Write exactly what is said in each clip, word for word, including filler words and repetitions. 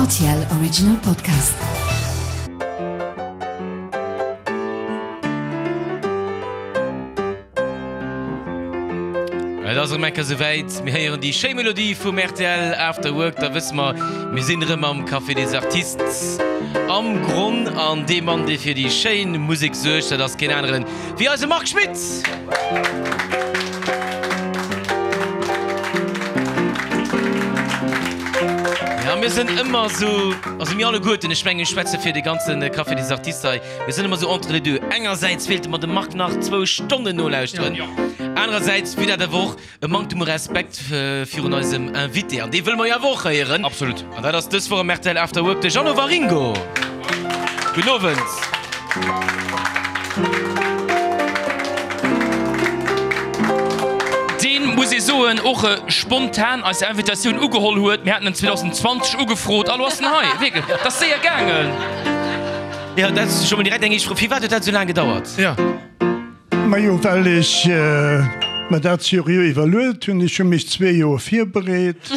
R T L Original Podcast. Et ass erëm eng Kéier souwäit, mir héieren déi schéi Melodie vum R T L After Work, da wësse mer, mir sinn erëm am Café des Artistes am Gronn an dee Mann, dee fir déi schéin Musek suergt, dat ass keen aneren wéi eise Marc Schmitt! Ja, mir sinn ëmmer esou, also mir alleguerten, ech mengen, ech schwätze fir de ganze Café des Artistes hei, mir sinn ëmmer esou entre les deux. Engersäits wéilte mer dem Marc nach zwou Stonnen nolauschteren, anerersäits wier dat awer och e Manktem u Respekt virun eisem Invité, an dee wëlle mer jo awer och héieren. Absolut. An dat ass dës Woch am R T L After Work de Jeannot Waringo. Gudden Owend. Deen, muss ee soen, och spontan eis Invitatioun ugeholl huet. Mir haten en zweedausendzwanzeg ugefrot a lo ass en hei. Wierklech, dat ass séier gaangen. Jo, dat ass scho mol direkt eng éischt Fro. Firwat huet dat esou laang gedauert? Jo. Majo, well ech mer dat seriö iwwerluet hunn. Ech hu mech zwee Joer virbereet,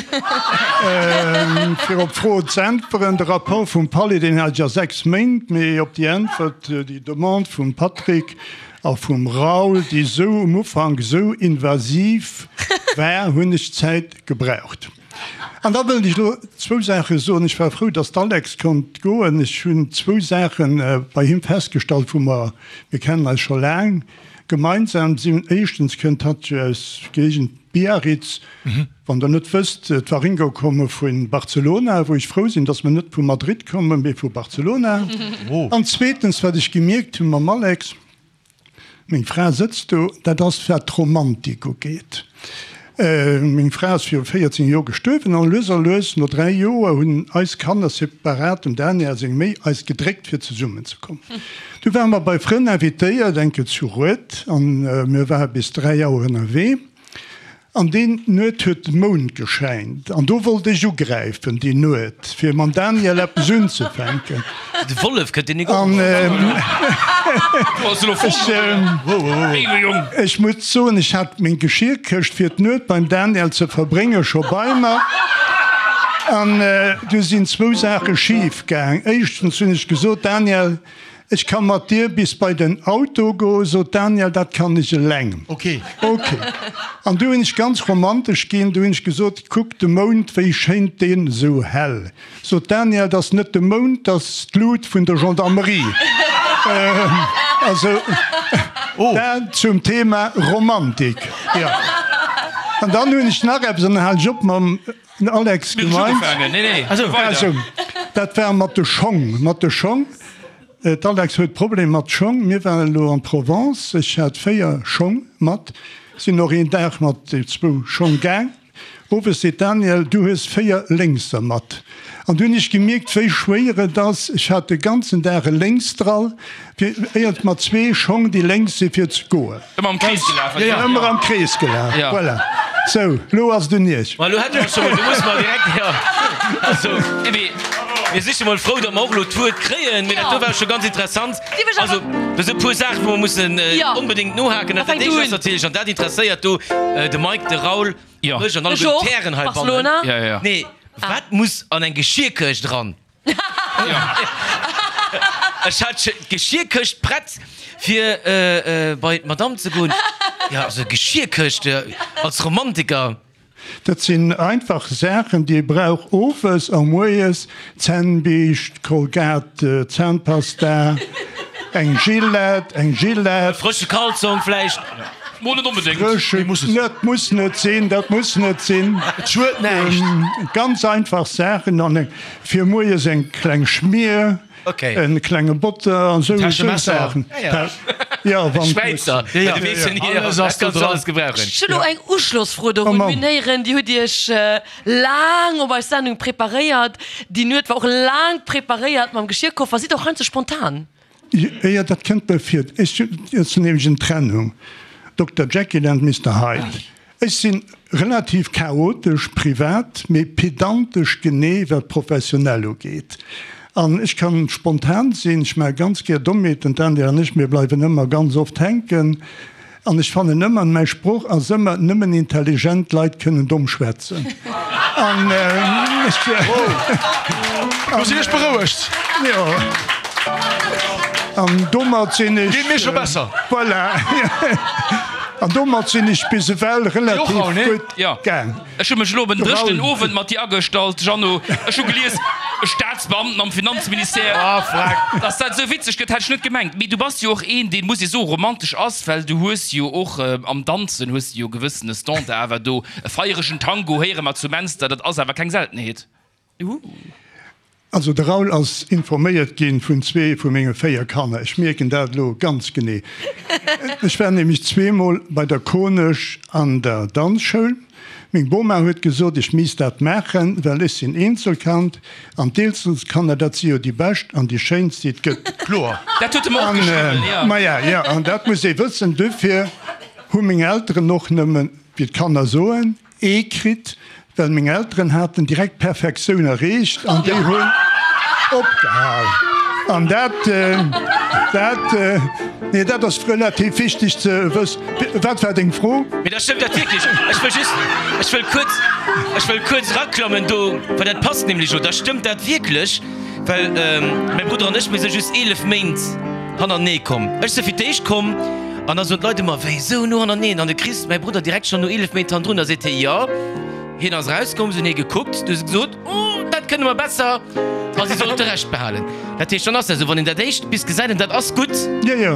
fir op d'Fro z'äntweren. De Rapport vum Palais, deen hat ech a sechs Méint, mee op déi Äntwert, déi Demande vum Patrick a vum Raoul, déi esou um Ufank esou invasiv war, hunn ech Zäit gebraucht. An da wëllt ech elo zwou Saache soen. Ech war frou, dass d'Alex konnt goen. Ech hunn zwou Saache bei him festgestallt, wou mer, mir kennen eis scho laang, gemeinsam sinn. Éischtens kënnt hatt jo aus Géigend Biarritz. Wann Der net wësst, d'Waringo komme vu Barcelona, wou ech frou sinn, dass mer net vu Madrid kommen, mee vu Barcelona. An zweetens, wat ech gemierkt hu mam Alex, meng Fra sëtzt do, dat ass wat d'Romantik ugeet. Meng Fra ass viru véierzéng Joer gestuerwen an lues a lues, no dräi Joer, hunn eis Kanner separat, dem Daniel seng méi, eis gedréckt fir zesummen ze kommen. Du ware mer bei Frënn invitéiert, eng Kéier zu Rued, an mir ware bis dräi Auer ënnerwee. An déi Nuet huet de Mound geschäint an do wollt ech ugräifen, déi Nuet, fir mam Daniel eppes unzefänken. De Wollef kënnt een och. An ech muss soen, ech hat meng Geschierkëscht fir d'Nuet beim Daniel ze verbrénge scho bei mer. An du sinn zwou Saache schif gaang. Éischtens hunn ech gesot, Daniel, Ech ka mat dir bis bei den Auto goen, sot d'Danielle, dat kann ech eleng. Ok. Ok. An du hunn ech ganz romantesch ginn, du hunn ech gesot, Kuck de Mound, wéi schéint deen esou hell. Sot d'Danielle, 't ass net de Mound, 't ass d'Lut vun der Gendarmerie. Also, dat zum Thema Romantik. Jo. An dann hunn ech nach eppes, an dann halen ech op mam Alex gemeint. Also, dat war mat de Schong, mat de Schong. D'Alex huet Problemer mat Schong. Mir waren elo an Provence, ech hat véier Schong mat, sinn och een Dag mat zwou Schong gaang. Owes seet d'Danielle, du hues véier lénkser mat. An du hunn ech gemierkt, wéi schwéier et ass, ech hat de ganzen Dag e Lénksdrall, fir éiert mat zwee Schong, déi lénks sinn, fir ze goen. Ëmmer am Krees gelaf. Ëmmer am Krees gelaf, voilà. Sou, lo ass et un Iech. Ma lo hätte mer scho mol, do musse mer direkt, jo, also, mir si scho mol frou, datt mer och elo d'Wuert kréien, mee dat do war scho ganz interessant. Also, do si e puer Saachen, wou mer mussen onbedéngt nohaken. Dat éischt ass natierlech, an dat interesséiert do de Mike, de Raoul, mech an alleguerten d'Hären heibannen, nee, wat muss an eng Geschierkëscht eran? Ech hat d'Geschierkëscht prett fir bei d'Madame ze goen. Jo, also Geschierkëscht als Romantiker. Dat sinn einfach Saachen, déi ee brauch owes a moies, Zännbiischt, Colgate Zahnpasta, eng Gillette, eng Gillette. E frësche Kalzong vläicht. Mo net onbedéngt. Frësche, dat muss net sinn, dat muss net sinn. Et schued näischt. Ganz einfach Saachen an eng. Fir moies eng kleng Schmier, en klenge Botter an sou Saachen. Jo, wann Schwäizer, du weess jo ni, alles ass do dran. Ech hunn elo eng Uschlossfro dorun. Mir hunn héieren, Dir hutt Iech laang op eis Sendung preparéiert. Déi Nuet war och laang preparéiert mam Geschierkoffer. Sidd Der och heiansdo spontan? Jo, dat kënnt mir vir. Ech sinn nämlech en Trennung, Dokter Jekyll and Mister Hyde. Ech si relativ chaotesch privat, mee pedantesch genee wat professionell ugeet. An ech kann spontan sinn, ech maache ganz gär Dommheeten, d'Andy an ech, mir bleiwen ëmmer ganz oft hänken. An ech fannen ëmmer, mäi Sproch ass ëmmer, nëmmen intelligent Leit kënnen domm schwätzen. An ech, Lo sinn ech berouegt. Jo. An domat sinn ech. Geet mir scho besser. Voilà. An domat sinn ech bis ewell relativ gutt gaang. Ech hu mech elo op en dréchenen Owend mat dir agestallt, Jeannot. Ech hu gelies, e Staatsbeamten am Finanzministère. Dass dat esou witzeg gëtt, hätt ech net gemengt. Mee du bass jo och een, deen, muss ee soen, romantesch ass, well du hues jo och am Danzen hues de jo e gewëssene Standard awer do. E feieregen Tango héiere mer zu Menster, dat ass awer keng Seltenheet. Also de Raoul ass informéiert ginn vun zwee vu menge véier Kanner. Ech mierken dat elo ganz genee. Ech war nämlech zweemol bei der Konesch an der Danzschoul. Meng Boma huet gesot, ech misst dat maachen, well ech sinn Eenzelkand an d'Eenzelkanner, dat si jo déi bescht an déi schéinst, déi et gëtt. Kloer. Dat huet e mer och geschriwwen, jo. Maja, jo, an dat muss ee wëssen. Dofir hu meng Elteren och nëmmen, wéi d'Kanner soen, Ee kritt, well meng Elteren haten direkt d'Perfektioun erreecht an déi hunn opgehal. An dat, dat, nee, dat ass relativ wichteg ze wëssen. Wat war deng Fro? Mee da stëmmt dat wierklech. Ech wëll just, ech wëll kuerz, ech wëll kuerz eraklammen do, well dat passt nämlech elo. Da stëmmt dat wierklech, well mäi Brudder an ech, mir si just eelef Méint hannertenee komm. Ech si fir d'éischt komm an da soen d'Leit ëmmer, wéi esou no hannerteneen? An de Chris, mäi Brudder, direkt schonn no eelef Méint hannendrun. Da seet hie, jo, hien ass erauskomm, se hunn hie gekuckt, du hu se gesot, oh, dat kënne mer besser a si sollt de Rescht behalen. Dat heescht, dann ass dat esou, wann een dat éischt bis gesäit an dat ass gutt,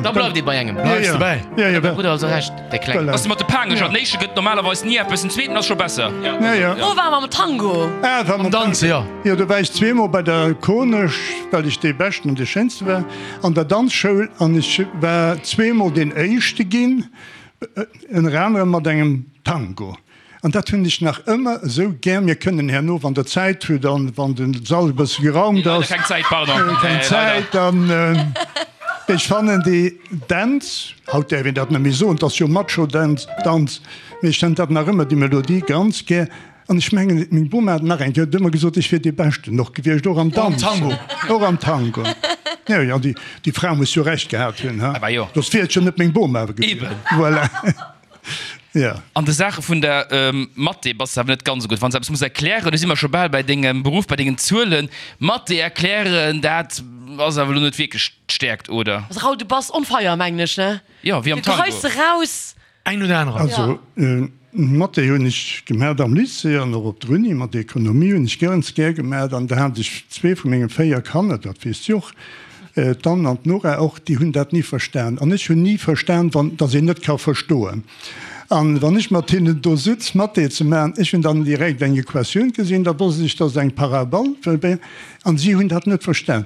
da bleift ee bei engem. Bleifs de bäi. Huet mäi Brudder also Recht, dee Klengen. Ass mat de Paangecher, den éischte gëtt normalerweis ni eppes, den zweeten ass scho besser. Wou war mam Tango? Am Danze, jo. Jo, do war ech zweemol bei der Konesch, well ech dee Beschten an dee Schéinste war an der Danzschoul an ech war zweemol deen Éischte ginn, ënner anerem mat engem Tango. An dat hunn ech nach ëmmer esou gär. Mir kënnen herno, wann Der Zäit hutt an wann de Sall e bësse geraumt ass, Leider keng Zäit, pardon. Keng Zäit, dann, ech fannen déi Dänz, haut däerf een dat net méi soen, 't ass jo Macho-Dänz, Danz, mee ech fannen dat nach ëmmer, déi Melodie ganz gär. An ech mengen, meng Boma hat nach eng Kéier ëmmer gesot, ech wier dee Beschten och gewiescht, och am Danzen, och am Tango. Jo, jo, déi, déi Fra muss jo Recht gehat hunn, ha? Soss wier et jo net meng Boma gewiescht. Voilà. Jo. An de Saache vun der Mathé bass de awer net ganz esou gutt. Wann s de eppes muss erklären, do si mer scho bal bei dengem Beruff, bei dengen Zuelen, Mathé erklären, dat ass awer elo net wierklech d'Stäerkt, oder? Also Raoul, du bass on fire, mengen ech, ne? Jo, wéi am Du Tango. geheis se raus. Eng no der anerer. Also Mathé hunn ech gemat am Lycée an och op der Uni. Mat Ekonomie hunn ech ganz gär gemat an da hat ech zwee vu menge véier Kanner, dat weess de och, d'Anne an d'Nora och, déi hunn dat ni verstan. An ech hunn ni verstan, wann, datt een net ka verstoen. An wann ech mat hinnen do sutz Mathé ze maachen, ech hunn dann direkt eng Equatioun gesinn, da wosst ech, dat ass eng Parabol, an si hunn dat net verstan.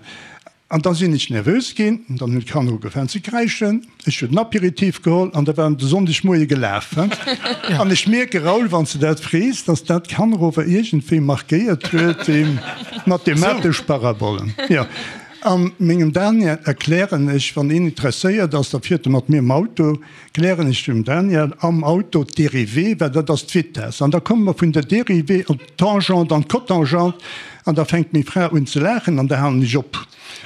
An da sinn ech nervös ginn, dann hunn d'Kanner ugefaangen ze kräischen, ech hunn den Apéritif geholl an da war de Sonndegmoie gelaf. An ech mierke, Raoul, wann s de dat frees, dass dat d'Kanner ower iergendwéi markéiert huet, déi mathematesch Parabolen. Jo. A mengem Daniel erklären ech, wann een interesséiert ass, da fiert e mat mir am Auto, klären ech dem Daniel am Auto d'Dérivée, well dat ass d'Vitess. An da komme mer vun der Dérivée op d'Tangente an d'Cotangente an da fänkt meng Fra un ze laachen an da halen ech op.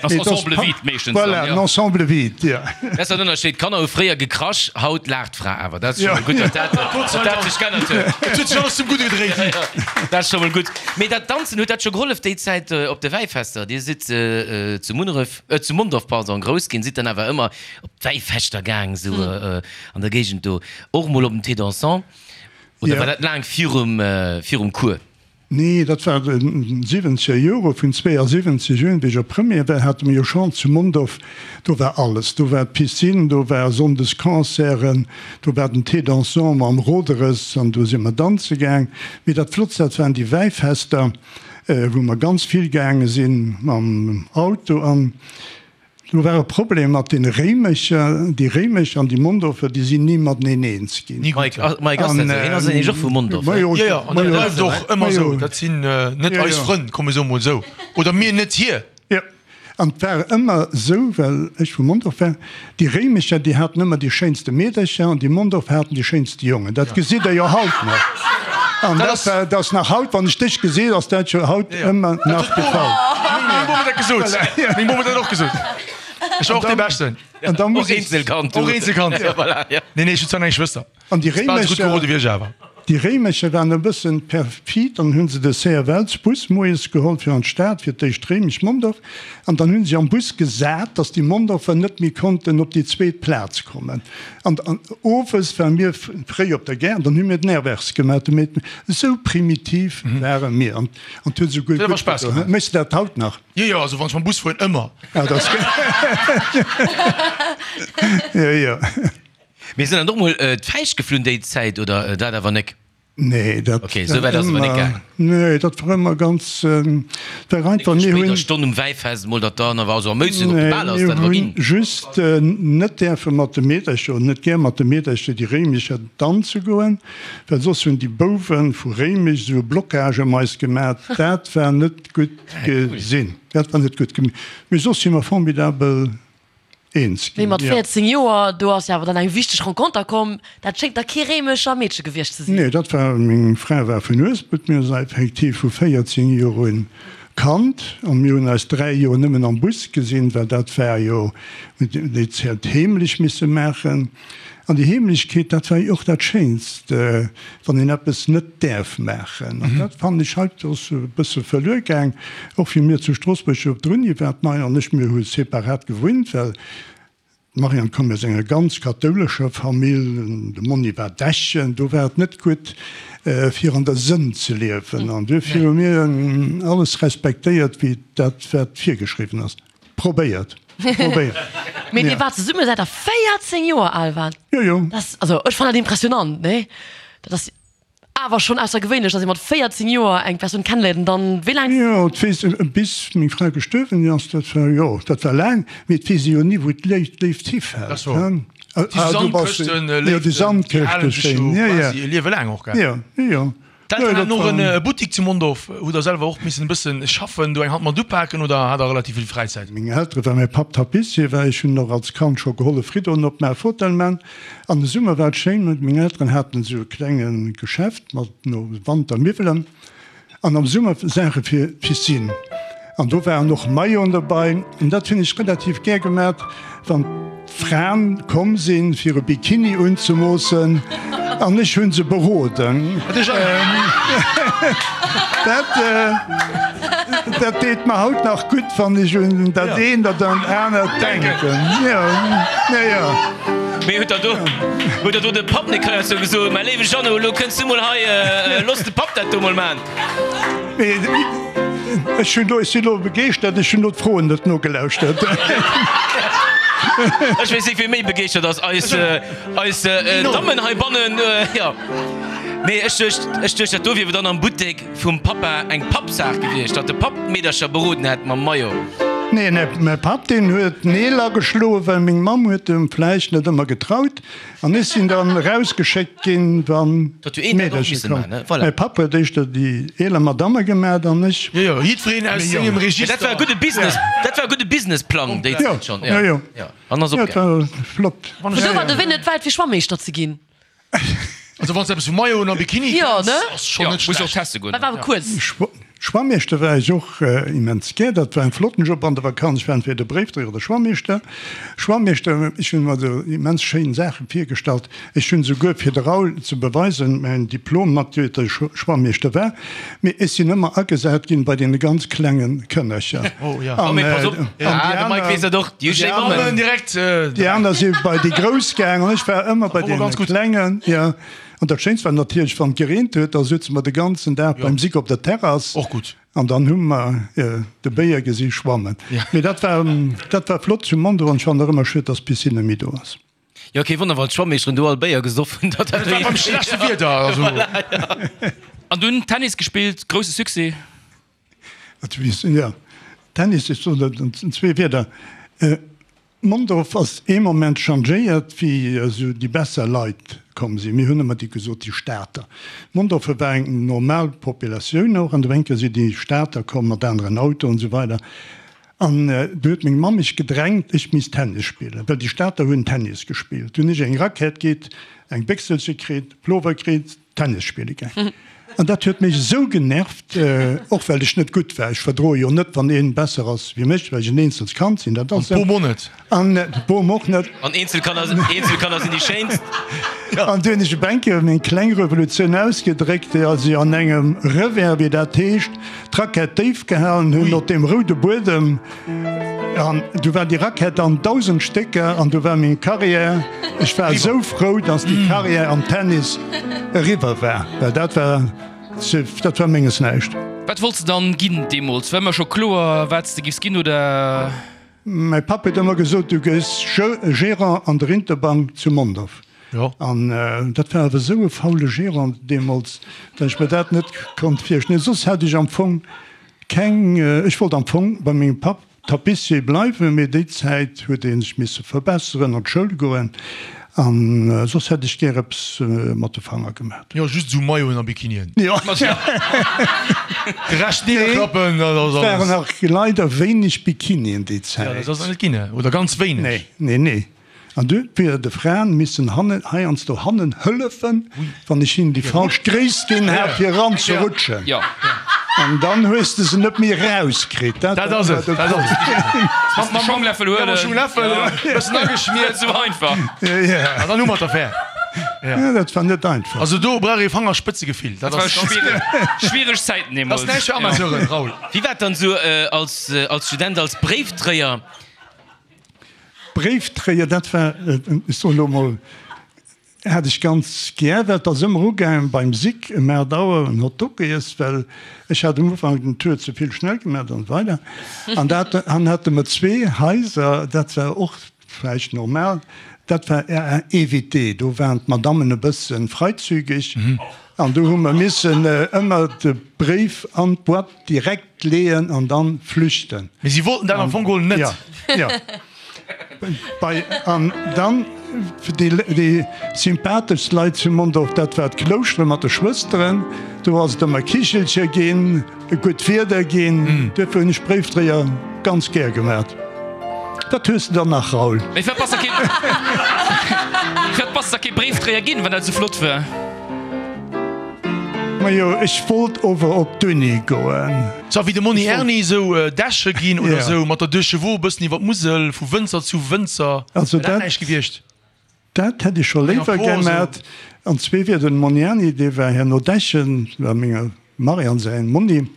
Ass Ensemble vide meeschtens dann, Voilà, jo. en ensemble vide, jo. Dat ass den Ënnerscheed, D'Kanner hu fréier gekrasch, haut laacht d'Fra awer. Dat ass scho mol gutt, datt dat, datt dat sech geännert huet. Et huet sech alles zum Gudde gedréit. Jo, jo, dat ass scho mol gutt. Mee dat Danzen, huet dat scho gehollef déi Zäit op de Wäifester? Dir sidd zu Munneref, zu Mondorf, pardon, grouss ginn, sidd dann awer ëmmer op d'Wäifeschter gaang, esou an der Géigend do, och mol op den Thé dansant? Oder war dat laang virum, virum Cours? Nee, dat war de siwwenzeger Jore, vun zweeasiwwenzeg un, wéi ech op Première war, hate mir jo schonn zu Mondorf, do war alles, do war d'Piscine, do war sonndes Concerten, do war den Thé dansant mam Roderes an do si mer danze gaang. Mee dat Flottst, dat waren déi Wäifester, wou mer ganz vill gaange sinn mam Auto an Do war e Problem mat deene Réimecher. Déi Réimech an déi Mondorfer, déi sinn ni mateneen eens ginn. Mike, Mike ass dat esou? Hien ass nämlech och vu Mondorf, ne? Jo, jo, an dat bleift och ëmmer esou. Dat sinn net eis Frënn, komm ech soe mol esou. Oder mir net hir. Jo, an et war ëmmer esou, well ech vu Mondorf war, déi Réimecher, déi haten ëmmer déi schéinste Meedercher an déi Mondorfer haten déi schéinste Jongen. Dat gesitt Der jo haut nach. An dat war, dat ass nach haut, wann ech dech gesinn, ass dat jo haut ëmmer nach de Fall. Meng Bom huet dat gesot. Meng Bom huet dat och gesot. Ech war och dee Beschten. An da muss Och ech. Eenzelkand, du. Och Eenzelkand. Ja, voilà, ja. Nee, nee, ech hunn zwar nach eng Schwëster. An déi Bal esou gutt Réimecher, gerode wéi ech awer. Déi Réimecher waren e bëssen perfid an hunn se de CFLs-Bus moies geholl fir an d'Stad, fir d'éischt Réimech, Mondorf, an dann hunn si am Bus gesat, datt déi Mondorfer net méi konnten op déi zweet Plaz kommen. An owes ware mir fréi op der Gare an dann hu mir den Airwärts gemaach. De Meet, esou primitiv ware mir an et huet esouguer gutt gedoen. Méchs de dat haut nach? Jo, jo, also wann ech mam Bus fueren, ëmmer. Ah, dat ass gutt. Jo, jo. Mee sinn dann och mol d'Fäischt geflunn déi Zäit oder dat awer nek? Nee, dat Okay, esou wäit ass et awer nek gaang. Nee, dat war ëmmer ganz, war einfach, mir hunn. Spéider Stonn um Wäifest mol, datt dann awer, also am Méissen op de Bal ass dat awer ginn. Mir hunn just net däerfe mat de Meedercher, oder net gär mat de Meedercher déi Réimecher danze goen, well soss hunn déi Bouwe vu Réimech esou e Blocage ëm eis gemat, dat war net gutt gesinn, dat war net gutt gemaach. Mee soss si mer formidabel eens Mee ginn, mat jo. véierzéng Joer, do ass jo awer dann eng wichteg Renconter komm. Dat schéngt da kee Réimecher Meedche gewiescht ze sinn. Nee, dat war, meng Fra war vun Uespelt, mir hunn eis effektiv vu véierzéng Joer un kannt an mir hunn eis dräi Joer nëmmen am Bus gesinn, well dat war jo, mir hunn déi Zäit heemlech misse maachen. An déi Heemlechkeet, dat war jo och dat Schéinst, wann een eppes net däerf maachen. An dat fannen ech haut ass e bësse verluer gaang. Och wéi mir zu Stroossbuerg op der Uni waren, d'Marianne an ech, mir hu separat gewunnt, well d'Marianne koum aus enger ganz kathoulescher Famill, de Monni war Dechen, do war et net gutt, fir an der Sënn ze liewen. An duerfir hu mir alles respektéiert, wéi dat wat virgeschriwwen ass. Probéiert, probéiert. Mee dir waart zesumme säit der véierzéng Joer al waart? Jo, jo. Dat ass, also ech fannen dat impressionant, nee? Dat ass awer schonn aussergewéinlech, datt ee mat véierzéng Joer eng Persoun kenneléiert an dann wéi laang? Jo, et weess e bis meng Fra gestuerwen ass, dat war, jo, dat war laang, mee et weess ee jo ni wou d'Léift hifält, Dat ass wouer. hein? Déi Ah, du bass, Sandkëschten, jo, déi Léiften, déi halen Sandkëschte sech jo schéin, jo, jo. quasi e Liewe laang och, gell? Jo, jo, jo. D'Elteren haten och e Buttik zu Mondorf. Hutt der selwer och missen e bëssen schaffen, do eng Hand mat upaken oder hat der relativ vill Fräizäit? Meng Eltere war mäi Papp Tapissier war. Ech hunn och als Kand scho gehollef Riddoen opmaachen, Fotell man. An de Summer war et schéin, meng Elteren haten esou e klenge Geschäft mat no Wantermiwwelen an am Summer Saache fir d'Piscine. An do waren och Mailloten dobei. An dat hunn ech relativ gär gemat, wann d'Fraen komm sinn, fir e Bikini unzemoossen, an ech hunn se beroden. Dat, dat deet mer haut nach gutt, wann ech un dat eent oder un anert denken. Jo, jo, jo. Mee huet der do, huet der do de Papp net heiansdo gesot, Mäi léiwe Jeannot, elo kënns du mol hei, looss de Papp dat do mol man? Mee ech hunn do, ech sinn elo begeeschtert, ech hunn elo d'Froen net nogelauschtert. Ech weess net, wie méi begeeschtert ass, eis, eis Dammen heibannen, jo. Nee, ech duecht, ech duecht, dat do wier dann am Buttek vum Pappa eng Pappsaach gewiescht, datt de Papp d'Meedercher beroden hätt mam Maillot. Nee, nee, mäi Papp, deen huet Neel ageschloen, well meng Mamm huet em vläicht net ëmmer getraut. An ech sinn dann erausgeschéckt ginn, wann d'Meedercher koum. Mäi Papp huet éischter déi eeler Madamme gemat an ech. Jo, jo, jiddwereen aus sengem Register. Dat war e gudde Business, dat war e gudde Businessplang déi Zäit schonn. Jo, jo. An ass Jo, dat opgaangen. war flott. Vun do war de Wee net wäit fir Schwammeeschter ze ginn. Also wann s de eppes vu Mailloten a Bikini Jo, kenns, ne? ass schonn net Muss och schlecht. teste goen. Dat war awer kuerz. Schwammeeschter war ech och immens gär. Dat war en flotten Job an der Vakanz. Ech war entweder Bréifdréier oder Schwammeeschter. Schwammeeschter, ech hunn mer esou immens schéin Saache virgestallt. Ech hunn esouguer, fir de Raoul ze beweisen, mäin Diplom matgekritt, datt ech Schwammeeschter war. Mee ech sinn ëmmer agesat ginn bei deene ganz klenge Kënnercher. Oh, mee pass op, ah, de Mike weess dat och, déi hu schéi Mammen. Déi aner si bei déi Grouss gaang an ech war ëmmer bei deene Klengen. Jo. An dat Schéinst war natierlech, wann et gereent huet, da souze mer de ganzen Dag beim Sick op der Terrass. Och gutt. An dann hu mer de Béier gesi schwammen. Mee dat war, dat war flott zu Mondorf an ech fannen och ëmmer schued, dass d'Piscine net méi do ass. Jo, kee Wonner, wann d'Schwammeeschteren do all Béier gesoff hunn, datt Dat war beim schlechte Wieder, also. An dunn Tennis gespillt, grousse Succès. Jo, Tennis, ech soen dat an zwee Wierder. Mondorf ass ee Moment changéiert, wéi esou déi besser Leit komm sinn. Mir hunn ëmmer déi gesot, déi Stater. Mondorf war eng normal Populatioun och, an do eng Kéier si déi Stater komm mat aneren Autoen an esou weider. An du huet meng Mamm mech gedrängt, ech misst Tennis spillen, well déi Stater hunn Tennis gespillt. Hunn ech eng Rackett kritt, eng Béchselche kritt, Plover kritt, Tennis spille gaang. An dat huet mech esou genervt, och well ech net gutt war. Ech verdroe jo net, wann een besser ass wéi mech, well ech en eenzelt Kand sinn. Dat ass An d'Bom och net. An d'Bom och net. An Eenzelkanner, Eenzelkanner sinn déi schéinst. An du hunn ech e Bänke meng kleng Revolutioun ausgedréckt, déi also an engem Revers, wéi dat heescht, d'Rackett déif gehalen hunn op deem roude Buedem. An du war déi Rackett an dausend Stécker an du war meng Carrière. Ech war esou frou, dass déi Carrière am Tennis eriwwer war, well dat war, dat war menges näischt. Wat wollts de dann ginn deemools? War ëmmer scho kloer, wat s de giffs ginn, oder? Mäi Papp huet ëmmer gesot, du gëss Gérant an der Interbank zu Mondorf. An dat war awer esou e faule Gérant deemools, datt ech mer dat net konnt virstellen. Soss hat ech am Fong keng, ech wollt am Fong bei mengem Papp Tapissier bleiwen, mee déi Zäit huet ee sech misse verbesseren, an d'Schoul goen, a soss hätt ech gär eppes mat de Fanger gemat. Jo, just esou Mailloten a Bikinien. Jo. De Rescht nidderklappen, dat ass alles. Et waren nach leider wéineg Bikinien déi Zäit. Jo, dat ass net ginn, oder ganz wéineg. Nee, nee, nee. An du huet mir de Fraen missen hannen, heiansdo hannen hëllefen, wann ech hinnen déi falsch Gréisst ginn hat, fir eranzerutschen. An dann hues de se net méi erauskritt. Dat ass et, dat ass et. Mam Schongläffel huelen. Mam Schongläffel, e bëssen ageschmiert. Esou einfach. An dann hu mer d'Affär. Ja, dat war net einfach. Also do brauch ee Fangerspëtzegefill. Dat war schwiereg, schwiereg Zäiten deemools. Dat ass näischt fir Amateuren, Raoul. Wéi war et dann esou als, als Student, als Bréifdréier? Bréifdréier, dat war, ech soen elo emol, hat ech ganz gär, well et ass ëmmer ugaangen beim Sick ëm aacht Auer en Hotdog giess, well ech hat um Ufank den Tour ze vill schnell gemaach an esou weider. An dat, an hate mer zwee Haiser, dat war och vläicht normal, dat war à éviter, do waren d'Madammen e bësse freizügig an do hu mer missen ëmmer de Bréif an d'Boîte Direkt leeën an dann flüchten. Mee si wollten dat am Fong geholl net. Ja, ja. Bei, an dann déi, déi sympatheschst Leit zu Mondorf, dat war d'Klouschtere mat de Schwësteren. Do ass et ëmmer Kichelcher ginn, gutt Wieder ginn. Duerfir hunn ech Bréifdréier ganz gär gemat. Wat hues de dann nach, Raoul? Mee firwat bass de kee, firwat bass de da kee Bréifdréier ginn, wann dat esou flott war? Majo, ech wollt ower op d'Uni goen. Sou wéi de Monni Erni, sou Däche ginn oder sou mat der Deux Chevaux e bëssen iwwer d'Musel, vu Wënzer zu Wënzer. Also Wär dat dat, näischt gewiescht? dat hätt ech scho Eng léiwer Emfor esou. gemat. An zwee Wieder, den Monni Erni, dee war herno Dächen, war menger Marianne säin Monni,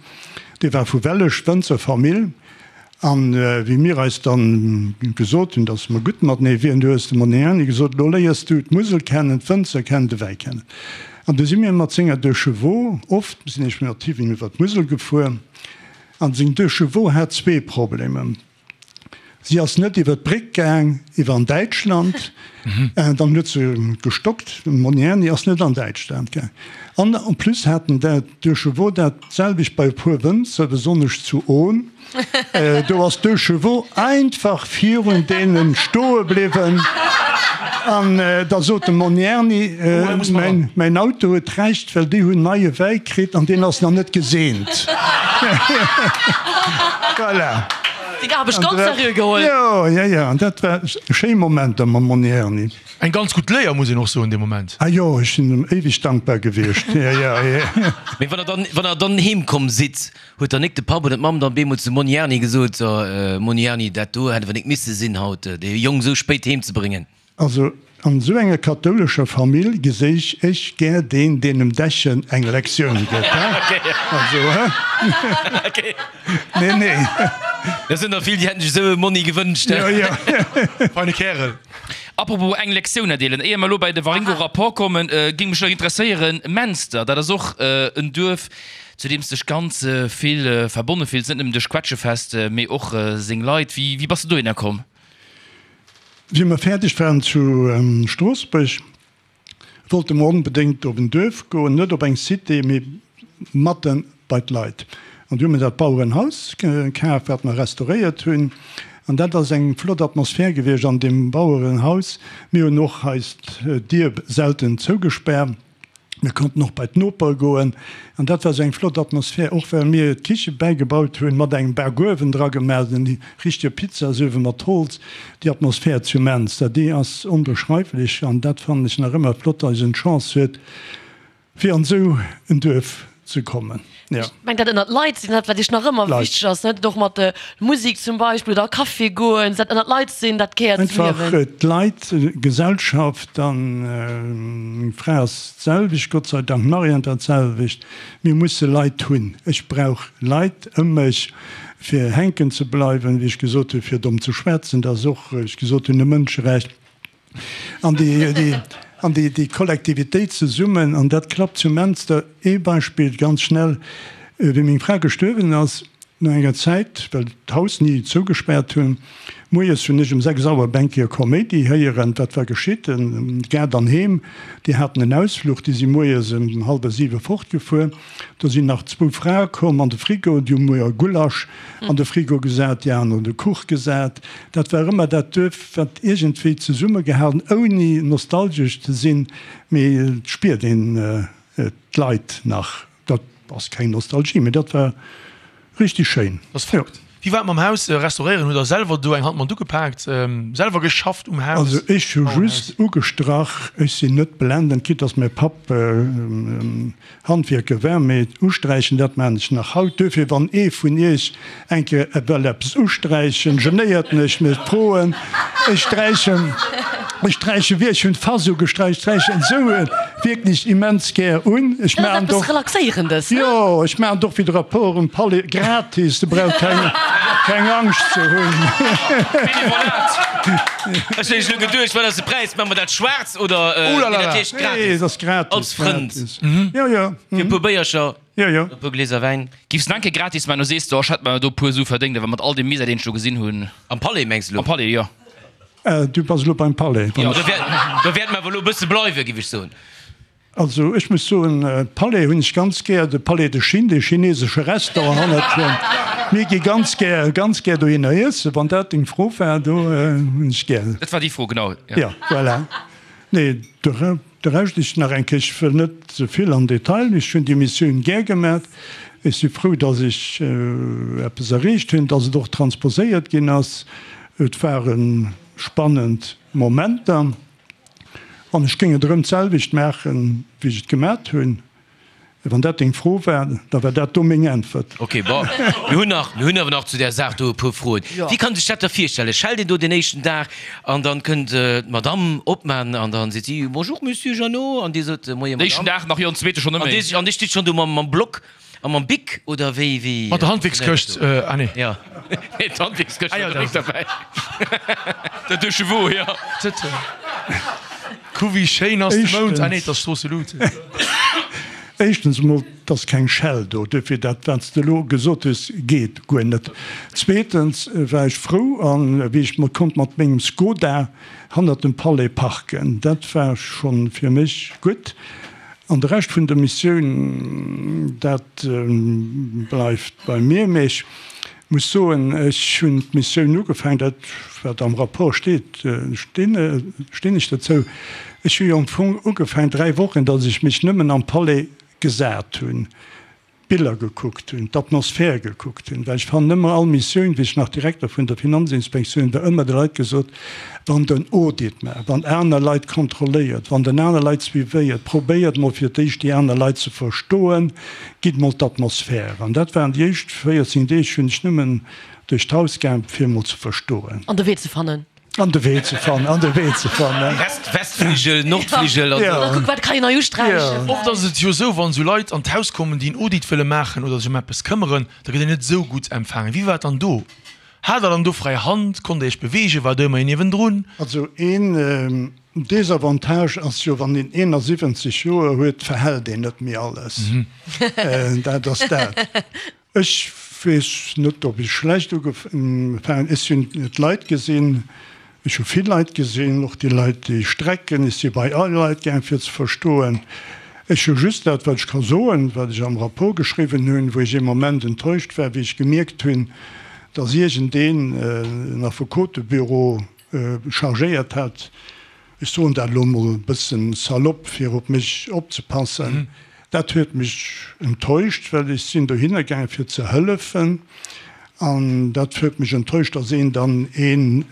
dee war vu Wellech, Wënzer Famill. An wéi mir eis dann gesot hunn, dass mer gutt matenee wieren, du hues de Monni gesot, elo léiers du d'Musel kennen, d'Wënzer kennen, de Wäi kennen. An du si mir mat senger Deux Chevaux, oft sinn ech mat him iwwer d'Musel gefuer, an seng Deux Chevaux hat zwee Problemer, si ass net iwwer d'Bréck gaang iwwer an Däitschland, dann huet se gestockt, de Monni ass net an Däitschland gaang. An en plus haten d'Deux Chevaux dat selwecht bei e puer Wënzer, besonnesch zu Ohn. Do ass Deux Chevaux einfach virun deenen stoe bliwwen an da sot de Monni Erni, mäin Auto huet Recht, well déi hunn neie Wäi kritt an deen ass nach net geseent. Voilà. Seng Aarbecht ganz seriö geholl. Jo, jo, jo, an dat war schéi Momenter mam Monni Erni. Eng ganz gutt Léier, muss een och soen, dee Moment. Ah jo, ech sinn em éiweg dankbar gewiescht. Jo, jo, jo. Mee wann der dann, wann der dann heem komm sidd, huet dann nik de Papp oder d'Mamm dann beemol zum Monni Erni gesot, So, Monni Erni, dat do hätt awer nik misse sinn haut, dee Jong esou spéit heem ze bréngen? Also an esou enger kathoulescher Famill geséich ech gär deen, deen dem Dechen eng Lektioun gëtt, he? Also, he? Nee, nee. Dat sinn der vill, déi hätten sech esou e Monni gewënscht, he? Jo, jo. Feine Kärel. Apropos eng Lektioun erdeelen, éier mer elo bei de Waringo-Rapport kommen, géing mech nach interesséieren, Menster, dat ass och en Duerf, zu deem s dech ganz vill verbonne fills, net nëmmen duerch d'Quetschefest, mee och seng Leit. Wéi, wéi bass de dohinner komm? Wéi mer fäerdeg waren zu Stroossbuerg, wollte mer onbedéngt op en Duerf goen, net op eng Cité, mee matten bei d'Leit. An du hu mer dat Bauerenhaus kaf, wat mer restauréiert hunn. An dat ass eng flott Atmosphär gewiescht an deem Bauerenhaus. Mir hunn och eis d'Dier selten zougespaart. Mir konnten och bei d'Nopere goen an dat war esou eng flott Atmosphär, och well mir d'Kiche bäigebaut hunn, mat engem Bakuewen dra gemaach, en richtege Pizzasuewe mat Holz. Déi Atmosphär zu Menster, déi ass onbeschreiflech an dat fannen ech nach ëmmer flott, datt een d'Chance huet, fir an esou en Duerf ze kommen. Jo. Ech mengen dat ënnert Leit sinn, dat wat iech nach ëmmer wichteg ass, net? Och mat der Musik zum Beispill oder a Café goen, dat ënnert Leit sinn, dat gehéiert zum Liewen. Einfach d'Leit, Gesellschaft an meng Fra ass d'selwecht, Gott sei Dank, d'Marianne dat selwecht. Mir musse Leit hunn. Ech brauch Leit ëm mech, fir hänken ze bleiwen, wéi ech gesot hunn, fir domm ze schwätzen, dat ass och, wéi ech gesot hunn, e Mënscherecht. An déi, an déi, déi Kollektivitéit zesummen, an dat klappt zu Menster. Ee Beispill ganz schnell, Wéi meng Fra gestuerwen ass, no enger Zäit, well d'Haus ni zougespaart hunn, moies hunn ech um sechs Auer op eng Kéier Koméidi héieren, wat war geschitt, Gaart an Heem, déi haten en Ausfluch, déi si moies ëm hallwer siwe fortgefuer, do sinn nach zwou Frae komm an de Frigo, déi hu muer Gulasch an de Frigo gesat, déi aner hunn de Kuch gesat. Dat war ëmmer dat Duerf, wat iergendwéi zesummegehalen, ouni nostalgesch ze sinn, mee et spiert een d'Leit nach. Dat ass keng Nostalgie, mee dat war richtig schéin. Dat ass Fakt. Wéi war et mam Haus restauréieren? Hutt Der selwer do eng Hand mat ugepaakt, selwer geschafft um Haus? Also ech hu just ugestrach, ech sinn net blendend, quitte dass mäi Papp Handwierker war, mee usträichen, dat maan ech nach haut. Duerfir, wann ee vun iech eng Kéier well eppes usträichen, genéiert mech net, froen. Ech sträichen, ech sträichen wéi, ech hunn d'Fass ugesträich, ech sträichen esou wierklech immens gär un. Ech Dat ass maan eppes och, Relaxéierendes, ne? jo, ech maan et och fir de Rapport um Palais gratis, do braucht keng, keng Angscht ze hunn. Benevolat. Ech hunn elo geduecht, wat ass de Präis? Maache mer dat schwaarz oder, Oh la la nee, dat la. heescht Nee, gratis. et ass gratis, Als Frënd. gratis. Jo, jo. Fir e puer Béiercher. Jo, jo. E puer Glieser Wäin. Giffs en enke gratis man, du sees do, ech hätt mer do e puer Su verdéngt, awer mat all deem Misär deen ech do gesinn hunn. Am Palais mengs de lo? Am Palais, jo. Du bass elo beim Palais. Jo, do wäert, do wäerte mer awer elo e bësse bleiwen, giff ech soen. Also ech muss soen, Palais hunn ech ganz gär, de Palais de Chine, dee chinesesche Restaurant hannert mir, gi ganz gär, ganz gär dohinner iessen, wann dat deng Fro war, do hunn ech gär. Dat war déi Fro, genau, jo. Jo, voilà. Nee, de. De Rescht, ech nach eng Kéier, ech wëll net ze vill an Detail, ech hunn déi Missioun gär gemat, ech si frou, datt ech eppes erreecht hunn, datt et och transposéiert ginn ass. Et ware spannend Momenter an ech géing et erëm d'selwecht maachen, wéi ech et gemat hunn. Wann dat deng Fro war, da war dat do meng Äntwert. Ok, bon, mir hunn nach, mir hunn awer nach zu där Saach do e puer Froen. Wéi kann sech dat da virstellen? Schellt een do den éischten Dag an dann kënnt d'Madame Obmann an dann seet si, Bonjour Monsieur Jeannot an Dir sot, Moie Den éischten Madame. Dag nach, jo, den zweete schonn net An méi. Dir, an Dir stitt schonn do mam, mam Block a mam Bic oder wéi, wéi Mat der funktionéiert Handwierkskëscht, dat do? ah nee. Jo, nee, d'Handwierkskëscht Ah jo, war direkt dat. derbäi. Dat duerch de Woo, jo. Kuck wéi schéin ass de Mound, ah nee, Éischtens. et ass Stroosse-Lut. Éischtens emol, et ass keng Schell do, duerfir dat, wat s de elo gesot hues, geet guer net. Zweetens war ech frou, an wéi ech konnt mat mengem Skoda hannert dem Palais parken, dat war scho fir mech gutt. An de Rescht vun der Missioun, dat bleift bei mir. Mee ech muss soen, ech hunn d'Missioun ugefaangen, dat wat am Rapport steet, stinn ech dozou, ech hu jo am Fong ugefaangen dräi Wochen, datt ech mech nëmmen am Palais gesat hunn, d'Biller gekuckt hunn, d'Atmosphär gekuckt hunn, well ech fannen ëmmer all Missioun, wéi ech nach Direkter vun der Finanzinspektioun war, ëmmer de Leit gesot, wann den Audit maacht, wann aner Leit kontrolléiert, wann den aner Leit suivéiert, probéiert mol fir d'éischt déi aner Leit ze verstoen, gitt mol d'Atmosphär. An dat waren déi éischt véierzéng Deeg, hunn ech nëmmen duerch d'Haus gaang, fir mol ze verstoen. An de Wee ze fannen. An de Wee ze fannen, an de Wee ze fannen. West, Westfligel, Nordfligel an Ja. Oder kuck, wat kann een nei usträichen. Oft ass et jo esou, wann esou Leit an d'Haus kommen, déi en Audit wëlle maachen oder sech ëm eppes këmmeren, da gëtt een net esou gutt empfaangen. Wéi war et dann do? Hat der dann do fräi Hand? Konnt der iech beweegen? War do ëmmer een niewendrun? Also een Desavantage ass jo, wann een eenasiwwenzeg Joer huet, verhält een net méi alles. Dat ass dat. Ech weess net, ob ech schlecht ugefaangen. Ech hunn d'Leit gesinn, ech hu vill Leit gesinn, och déi Leit, déi strecken. Ech si bei all Leit gaang, fir ze verstoen. Ech hu just dat, wat ech ka soen, wat ech am Rapport geschriwwen hunn, wou ech ee Moment enttäuscht war, wéi ech gemierkt hunn, datt iergendeen en Affekotebüro chargéiert hat, ech soen dat elo emol e bëssen salopp, fir op mech opzepassen. Dat huet mech enttäuscht, well ech sinn dohinner gaangen, fir ze hëllefen. An dat huet mech enttäuscht, datt een dann een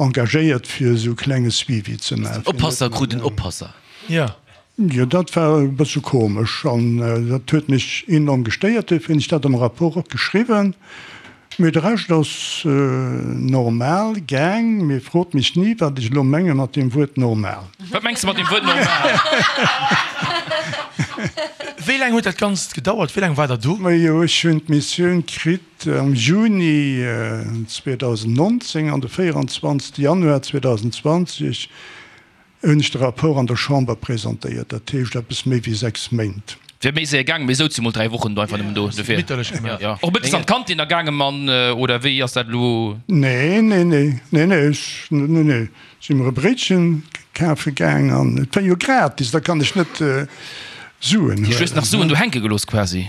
engagéiert, fir esou e klenge Suivi ze maachen. Oppasser krut en Oppasser. Jo. Jo, dat war e bësse komesch an dat huet mech enorm gestéiert. Duerfir hunn ech dat am Rapport och geschriwwen. Mee de Rescht ass normal gaang. Mee frot mech ni, wat ech elo menge mat deem Wuert normal. Wat mengs de mat deem Wuert normal? Wéi laang huet dat Ganzt gedauert? Wéi laang war der do? Majo, ech hunn d'Missioun kritt am Juni zweedausendnonzéng an de véieranzwanzegste Januar zweedausendzwanzeg hunn ech de Rapport an der Chamber presentéiert, dat heescht eppes méi wéi sechs Méint. Wier méi séier gaangen, mee souz jo mol dräi Wochen do einfach nëmmen do. Dofir. Bitterlech gemaach. Jo. Och mëttes an d'Kantin da gaange man, oder wéi ass dat elo? Nee, nee, nee, nee, nee, ech, nee, nee. Si mer e Bréitchen kafe gaang an et war jo gratis, da kann ech net Suen huelen. Hues nach Suen do hänke gelooss quasi?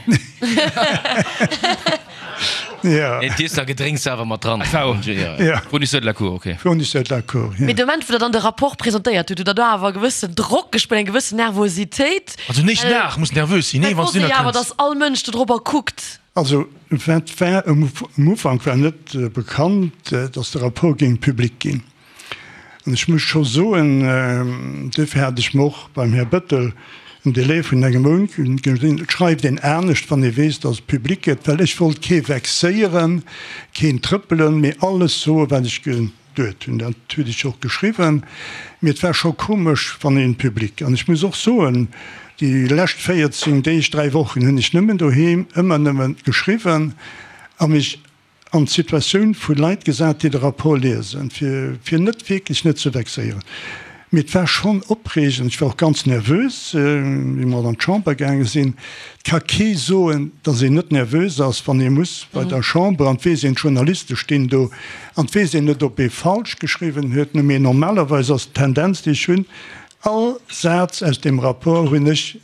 Ja. Nee, d'Iess a Gedrénks war awer mat dran. Ja. Fournisseur de la cour, ok. Fournisseur de la cour, ja. Mee de Moment, wou der dann de Rapport presentéiert hutt, hutt der do awer e gewëssen Drock gespuert, eng gewëssen Nervositéit? Also den éischten Dag muss nervös sinn, nee, wann s du net awer, dass all Mënsch do drobber kuckt. Also wat war, um Ufank war net bekannt, dass de Rapport géing public ginn. An ech muss scho soen, duerfir hat ech mer och beim Här Bettel en Délai vun engem Mount gesinn, et schreift een anescht, wann ee weess, dass et public gëtt, well ech wollt kee vexéieren, keen trëppelen, mee alles soen, wat ech geduet hunn. Dat huet ech och geschriwwen. Mee et war scho komesch, wann een public, an ech muss och soen, déi lescht véierzéng Deeg, dräi Wochen hunn ech nëmmen doheem ëmmer nëmme geschriwwen a mech an d'Situatioun vu Leit gesat, déi de Rapport liesen, fir fir net wierklech net ze vexéieren. Mee et war schonn opreegend, ech war och ganz nervös, wéi mer an d'Chamber gaange sinn. Et ka kee soen, datt een net nervös ass, wann ee muss bei der Chamber, an et weess een, d'Journaliste stinn do, an et weess een net, ob ee falsch geschriwwen huet. Mee normalerweis ass d'Tendenz, déi ech hunn, all Saz aus deem Rapport hunn ech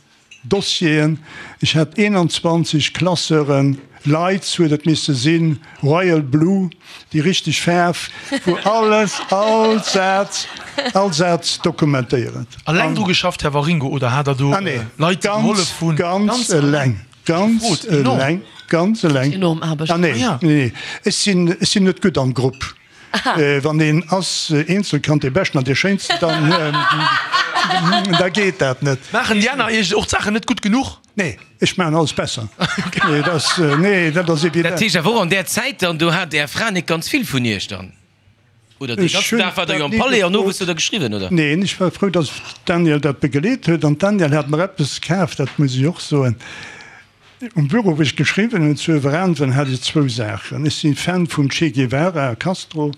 Dossieren, ech hat eenanzwanzeg Classeuren, Lights huet et misse sinn, Royal Blue, déi richteg Faarf, wou alles, all Saz, all Saz dokumentéiert. Alleng dru geschafft, Här Waringo, oder hat Der do Leit, déi gehollef hunn? Ganz eleng, ganz eleng, ganz eleng. Enorm Aarbecht. Ah nee, nee, ech sinn, ech sinn net gutt am Grupp. Wann een ass Eenzelkand, dee Beschten an dee Schéinsten, dann da geet dat net. Maachen déi aner Iech och d'Saachen net gutt genuch? Nee, ech maachen alles besser. Nee, dat ass, nee, dat ass evident. Dat heescht awer och an där Zäit dann, do hat Är Fra net ganz vill vun Iech dann? Oder dee ganzen Dag waart Der jo am Palais an owes hutt Der geschriwwen, oder? Neen, ech war frou, datt d'Danièle dat begleet huet. An d'Danièle hat mer eppes kaf, dat muss ech och soen. Um Büro, wou ech geschriwwen hunn zu Ueweräntwen, hat ech zwou Saachen. Ech si Fan vum Che Guevara a Castro,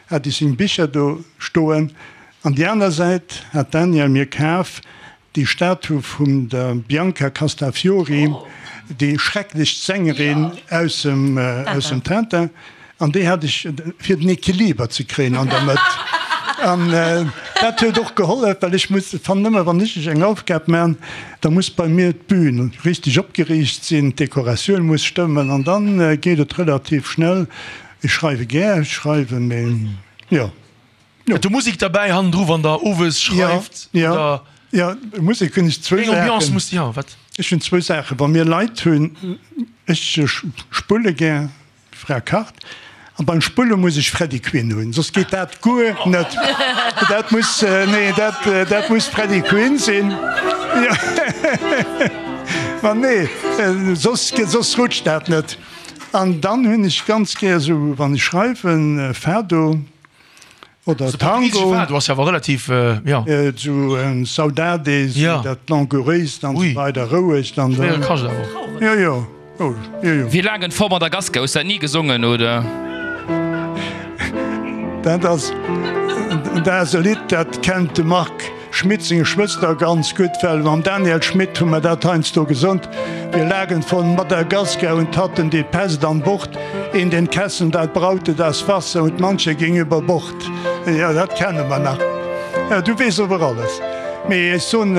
hat ech seng Bicher do stoen. An déi aner Säit hat d'Danièle mir kaf déi Statue vum der Bianca Castafiori, déi schrecklech Sängerin aus dem Tintin. An déi hat ech, fir den Equiliber ze kréien an der Mëtt. An dat huet och gehollef, well ech muss, fannen ëmmer, wann ech eng Aufgab man, da muss bei mir d'Bühn richteg opgeriicht sinn, d'Dekoratioun muss stëmmen an dann geet et relativ schnell. Ech schreiwe gär, ech schreiwen, mee jo. Huet do Musek derbäi hannendru, wann der owes schreift? Jo, jo, jo, Musek hunn ech zwou Saachen. Jo, wat? Ech hunn zwou Saachen, wa mir Leit hunn, ech spulle gär. Fra kacht an beim Spulle muss ech Freddy Quinn hunn, soss geet dat guer net. Dat muss, nee, dat, dat muss Freddy Quinn sinn. Ma nee, soss, soss rutscht dat net. An dann hunn ech ganz gär esou, wann ech schreiwen, Fado. Oder Tango. Du ass awer relativ, jo. Esou Saudade, esou dat Langouréist an esou weider, rouegt an. Schwéiere Kascht awer och. Jo, jo, oh, jo, jo. Wir lagen vor Madagaskar, hues dat ni gesongen, oder? Dat ass, dat ass e Lidd, dat kennt de Marc Schmit seng Schwëster ganz gutt, well mam Daniel Schmit hu mer dat heiansdo gesond. Wir lagen von Madagaskar und hatten die Pest an Bord, in den Kessen da braute das Wasser und mancher ging über Bord. Jo, dat kenne mer nach. Jo, du weess ower alles. Mee ech soen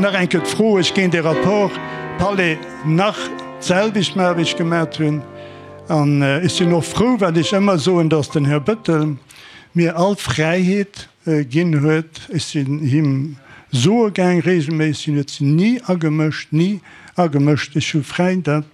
nach eng Kéier d'Fro, ech géing dee Rapport Palais nach d'selwecht maachen, wéi ech gemat hunn. An ech sinn och frou, wat ech ëmmer soen, dass den Här Bettel mir all Fräiheet Ginn huet. Ech sinn him soe gaang regelméisseg, hien huet sech ni agemëscht, ni agemëscht. Ech hu fräi dat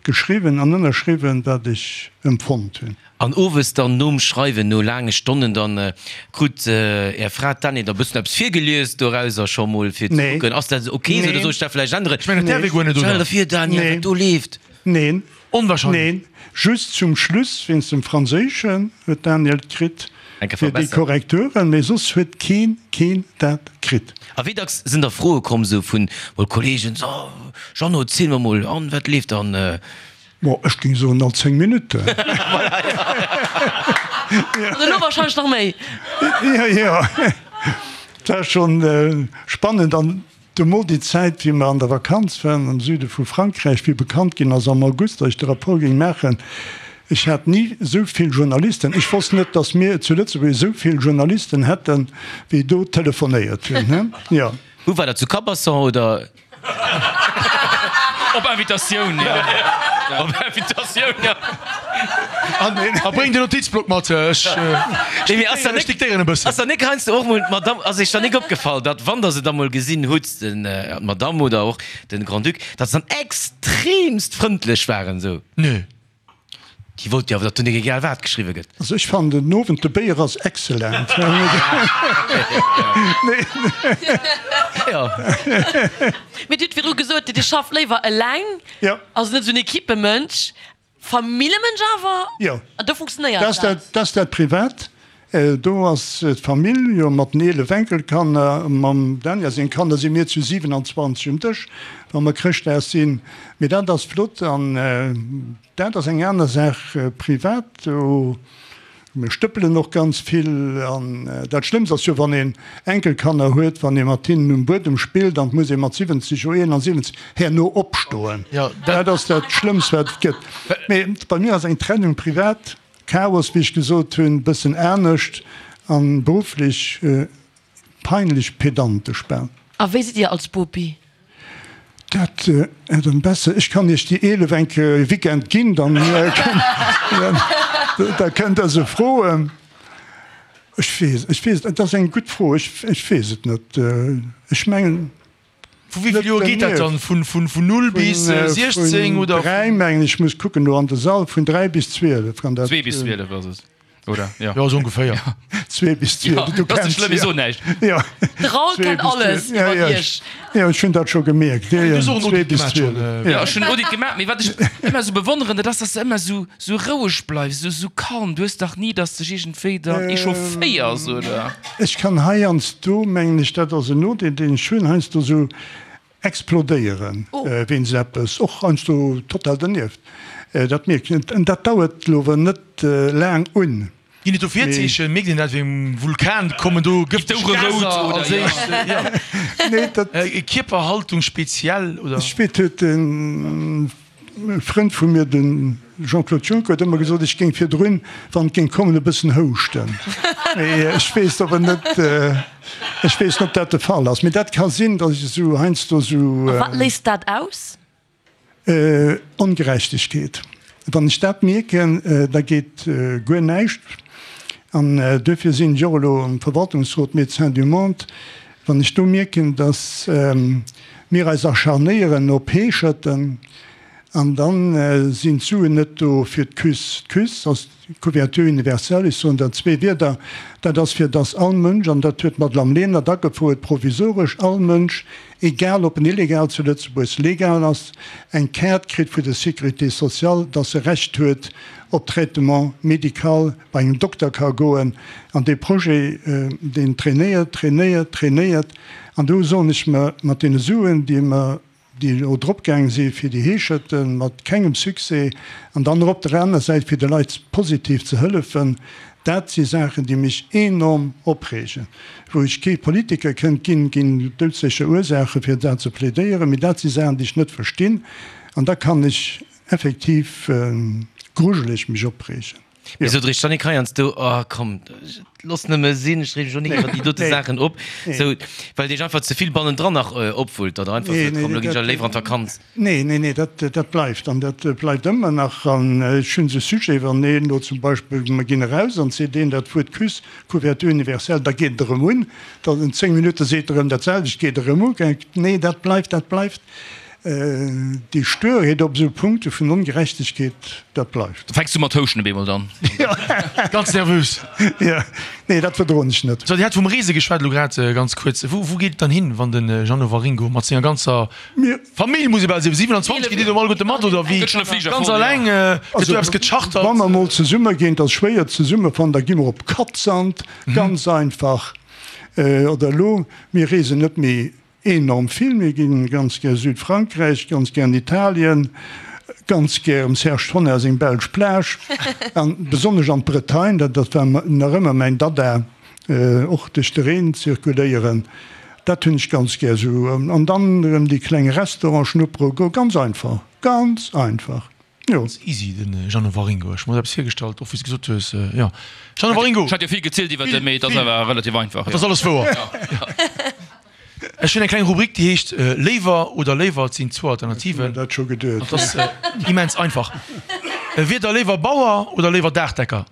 geschriwwen an ënnerschriwwen, wat ech empfonnt hunn. An owes dann nom Schreiwen, no laange Stonnen, dann krut Är Fra d'Danièle da bëssen eppes virgelies dorauser scho mol fir ze kucken, ass dat ok esou oder soll ech dat vläicht änneren? Ech mengen, dat däerf ee guer net, oder? Stell der vir, Danièle, wat do leeft. Neen. Onwahrscheinlech. Neen, just zum Schluss, wéinst dem Franséischen huet d'Danièle kritt fir déi Korrekturen, mee soss huet keen, keen dat kritt. A wéi dacks sinn da Froe komm esou vun mol Kollegen, so Jeannot, ziel mer mol, an wat leeft dann? Bon, ech géing soen all zéng Minutten. An elo wahrscheinlech nach méi. Jo, jo, et war schonn spannend. An du mol déi Zäit, wéi mer an der Vakanz waren am Süde vu Frankräich, wéi bekannt ginn ass am August, datt ech de Rapport géing maachen, ech hat ni esou vill Journalisten, ech wosst net, datt mir zu Lëtzebuerg esou vill Journalisten hätten, wéi do telefonéiert hunn. Jo. Wou war dat, zu Cabasson oder? Op Invitatioun, jo. Op Invitatioun, jo. A bréng den Notizblock mat, ech diktéieren e bëssen. Ass der nik heiansdo och mol d'Madame, ass iech dann nik opgefall, datt wann der se da mol gesinn hutt, den, d'Madame oder och den Grand-Duc, datt se dann extremst frëndlech waren esou? Nö. Déi wollt jo awer, datt do nik egal wat geschriwwe gëtt. Also ech fannen den Owend de Béier ass excellent. Mee Dir hutt virdru gesot, Dir schafft léiwer eleng, also net esou en Equipemënsch. Familljemënsch awer? Jo. An do funktionéiert dat? Dat ass dat privat. Do ass d'Famill jo mat den eelef Enkelkanner, mam Daniel seng Kanner si mir zu siwenanzwanzeg um Dësch, wa mer Chrëschtdag sinn. Mee dat ass flott an dat ass eng aner Saach privat. Do mir stëppelen och ganz vill an dat Schlëmmst ass jo, wann een Enkelkanner huet, wann ee mat hinnen um Buedem spillt an et muss ee mat siwwenzeg, jo eenansiwwenzeg herno opstoen. Dat ass dat Schlëmmst wat et gëtt. Mee bei mir ass eng Trennung privat Chaos, wéi ech gesot hunn, bëssen anescht an berufflech peinlech pedantesch bal. A wéi sidd Dir als Bopi? Dat hätt en besser. Ech kann Iech déi eelef enk e Weekend ginn, dann da kënnt Der se froen. Ech weess, ech weess, et ass eng gutt Fro, ech weess et net. Ech mengen. Vu wéi vill Joer geet dat dann? Vun vun null bis siechzéng oder? Vun dräi mengen ech, muss kucken do an de Sall, vun dräi bis zwielef kann dat. Zwee bis zwielef ass et, oder? Jo, jo, sou ongeféier. Zwee bis zwielef, du kenns jo. Ech soen näischt. Jo. De Raoul kennt alles iwwer iech. Jo, ech hunn dat scho gemierkt. Jo, jo, zwee bis zwielef. Jo, ech hunn en Audit gemaach, mee wat ech ëmmer esou bewonneren, dat ass, dass de ëmmer esou, esou roueg bleifs, esou, esou calm. Du hues dach ni, dass dech iergendwéi dann echaufféiers, oder? Ech kann heiansdo, mengen ech, dat ass en Nodeel, deen ech hunn, heiansdo esou explodéieren wéinst eppes, och heiansdo total dernieft. Dat mierkt een. Dat dauert elo awer net laang un. Ginn et do Virzeechen? Mierkt een dat wéi um Vulkan? Kommen do gëfteg Gaser als éischt? Nee, dat. Kierperhaltung speziell, oder? Ech weess, huet e Frënd vu mir, de Jean-Claude Juncker, huet ëmmer gesot, ech géing virdrun, wann et géing kommen, e bëssen houschten. Mee ech weess awer net, ech weess net, ob dat de Fall ass. Mee dat ka sinn, datt ech esou heiansdo esou. A wat léist dat aus? Ongerechtegkeet. Wann ech dat mierken, da geet guer näischt. An duerfir sinn ech och elo am Verwaltungsrot Médecins du Monde. Wann ech do mierken, datt mir eis acharnéieren op Heescherten an da sinn d'Suen net do fir d'Küss. D'Küss ass d'Couverture universelle, ech soen der zwee Wierder, dat ass fir datt all Mënsch, an dat huet d'Madame Lenert agefouert, provisoresch, all Mënsch, egal ob en illegal zu Lëtzebuerg, legal ass, eng Kaart kritt vu der Sécurité sociale, datt e Recht huet op Traitement médical bei engem Dokter ka goen. An dee Projet, deen trainéiert, trainéiert, trainéiert. An do soen ech mer, mat deene Suen, déi mer, déi elo dropgaang si fir déi Heescherten, mat kengem Succès, an dann och op der aner Säit fir de Leit positiv ze hëllefen, dat si Saachen, déi mech enorm opreegen, wou ech kee Politiker kënnt ginn, ginn doudsécher Ursaache fir dat ze plädéieren, mee dat si Saachen, déi ech net verstinn. An da kann ech effektiv grujeleg mech opreegen. Mee sot Iech dann nik heiansdo, oh komm, looss nëmme sinn, ech reeg mech och nik iwwer déi dote Saachen op, sou, well et Iech einfach ze vill bannendran nach opwullt, datt Der einfach sot, komm, elo ginn ech awer léiwer an d'Vakanz? Nee, nee, nee, dat, dat bleift an dat bleift ëmmer nach. An ech hunn esou Sujete, wann een elo zum Beispill, mer ginn eraus an seet een dat Wuert Küss, Couverture universelle, da geet et erëm un, dann en zéng Minutte seet e erëm dat selwecht, geet erëm u. Nee, dat bleift, dat bleift. Déi Stuerheet op esou Punkte vun Ongerechtegkeet, dat bleift. Fänks du mat houschen op eemol dann? Ganz nervös. Jo, nee, dat verdroen ech net. So, Dir hat vum Reese geschwat elo grad ganz kuerz. Wou, wou geet et dann hin, wann de Jeannot Waringo mat senger ganzer Famill, muss ee bal soen, siwenanzwanzeg, geet Dir do alleguerte mat oder wéi? Gëtt schonn e Fliger Ganz voll, jo. alleng? Gëtt do eppes gechartert? Wa mer mol zesumme ginn, et ass schwéier zesummefannen, da gi mer op Cadzand, ganz einfach. Oder elo, mir reesen net méi Enorm vill. Mir ginn ganz gär Südfrankräich, ganz gär an Italien, ganz gär em Serge Tonnar seng belsch Plage an besonnesch an d'Bretagne, dat dat war nach ëmmer mäin Dada, och duerch de Reen zirkuléieren, dat hunn ech ganz gär esou. An dann erëm déi kleng Restaurante schnuppere goen, ganz einfach, ganz einfach. Jo. Ganz easy, den Jeannot Waringo. Ech hu mer eppes virgestallt, och wéi s de gesot hues, jo. Jeannot Waringo! Ech hat jo vill gezielt iwwert e, mee et ass awer relativ einfach, jo. Et ass alles wouer. Ech hunn eng kleng Rubrik, déi heescht Léiwer oder léiwer. Et sinn zwou Alternativen. Ech hu mer dat scho geduet. Et ass immens einfach. Wier der léiwer Bauer oder léiwer Daachdecker?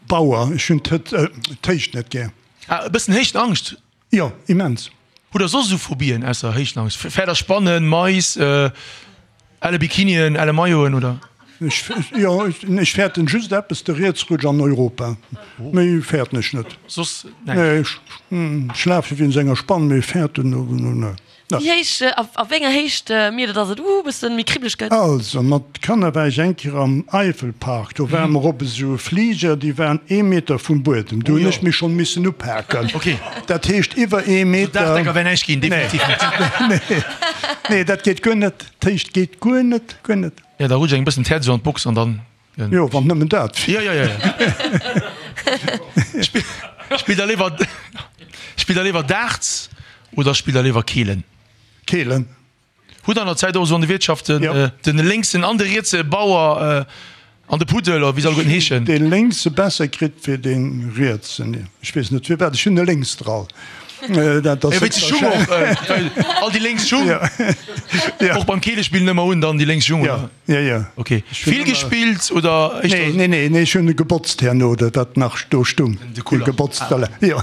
Bauer. Ech hunn d'Héicht net gär. Ah, e bëssen Héichtenangscht? Jo, immens. Hutt der soss esou Phobien ausser Héichtenangscht? Fäert der Spannen, Mais, elle Bikinien, elle Mailloten oder? Ech, jo, ech fäerten just eppes, de Rietsrutsch an Europa. Méi fäerten ech net. Soss näischt? Nee, ech lafe wéinst enger Spann, mee fäerten, nee. Wéi héich, a wéi enger Héicht mierkt der, dass et uh bëssen méi kribbleg gëtt? Also mat Kanner war ech eng Kéier am Eifelpark, do ware mer op esou Fliger, déi waren ee Meter vum Buedem, do hunn ech mech schonn missen upaken. Dat heescht iwwer ee Meter. Daachdecker wär näischt ginn, definitiv net. Nee, nee, dat geet guer net, d'Héicht geet guer net, guer net. Jo, da rutscht engem bëssen d'Häerz esou an d'Box an dann. Jo, wann nëmmen dat wier. Jo, jo, jo. Spillt der léiwer, spillt der léiwer Darts oder spillt der léiwer Keelen? Keelen. Hutt der an der Zäit och esou an de Wiertschaften den lénksen an de rietse Bauer an de Puddel, oder wéi se alleguerten heeschen? Dee lénkse besser kritt wéi dee rietsen. Ech weess net firwat, ech hunn e Lénksdrall. Dat ass. Wéinst de Schung och, all déi lénks Schung. Och beim Keelespillen ëmmer un dann déi lénks Schung, oder? Jo, jo. Ok. Vill gespillt oder éischter? Nee, nee, nee, ech hunn e gebotzt herno, dat wat nach do stung. De Kuller. Gebotzt, voilà, jo.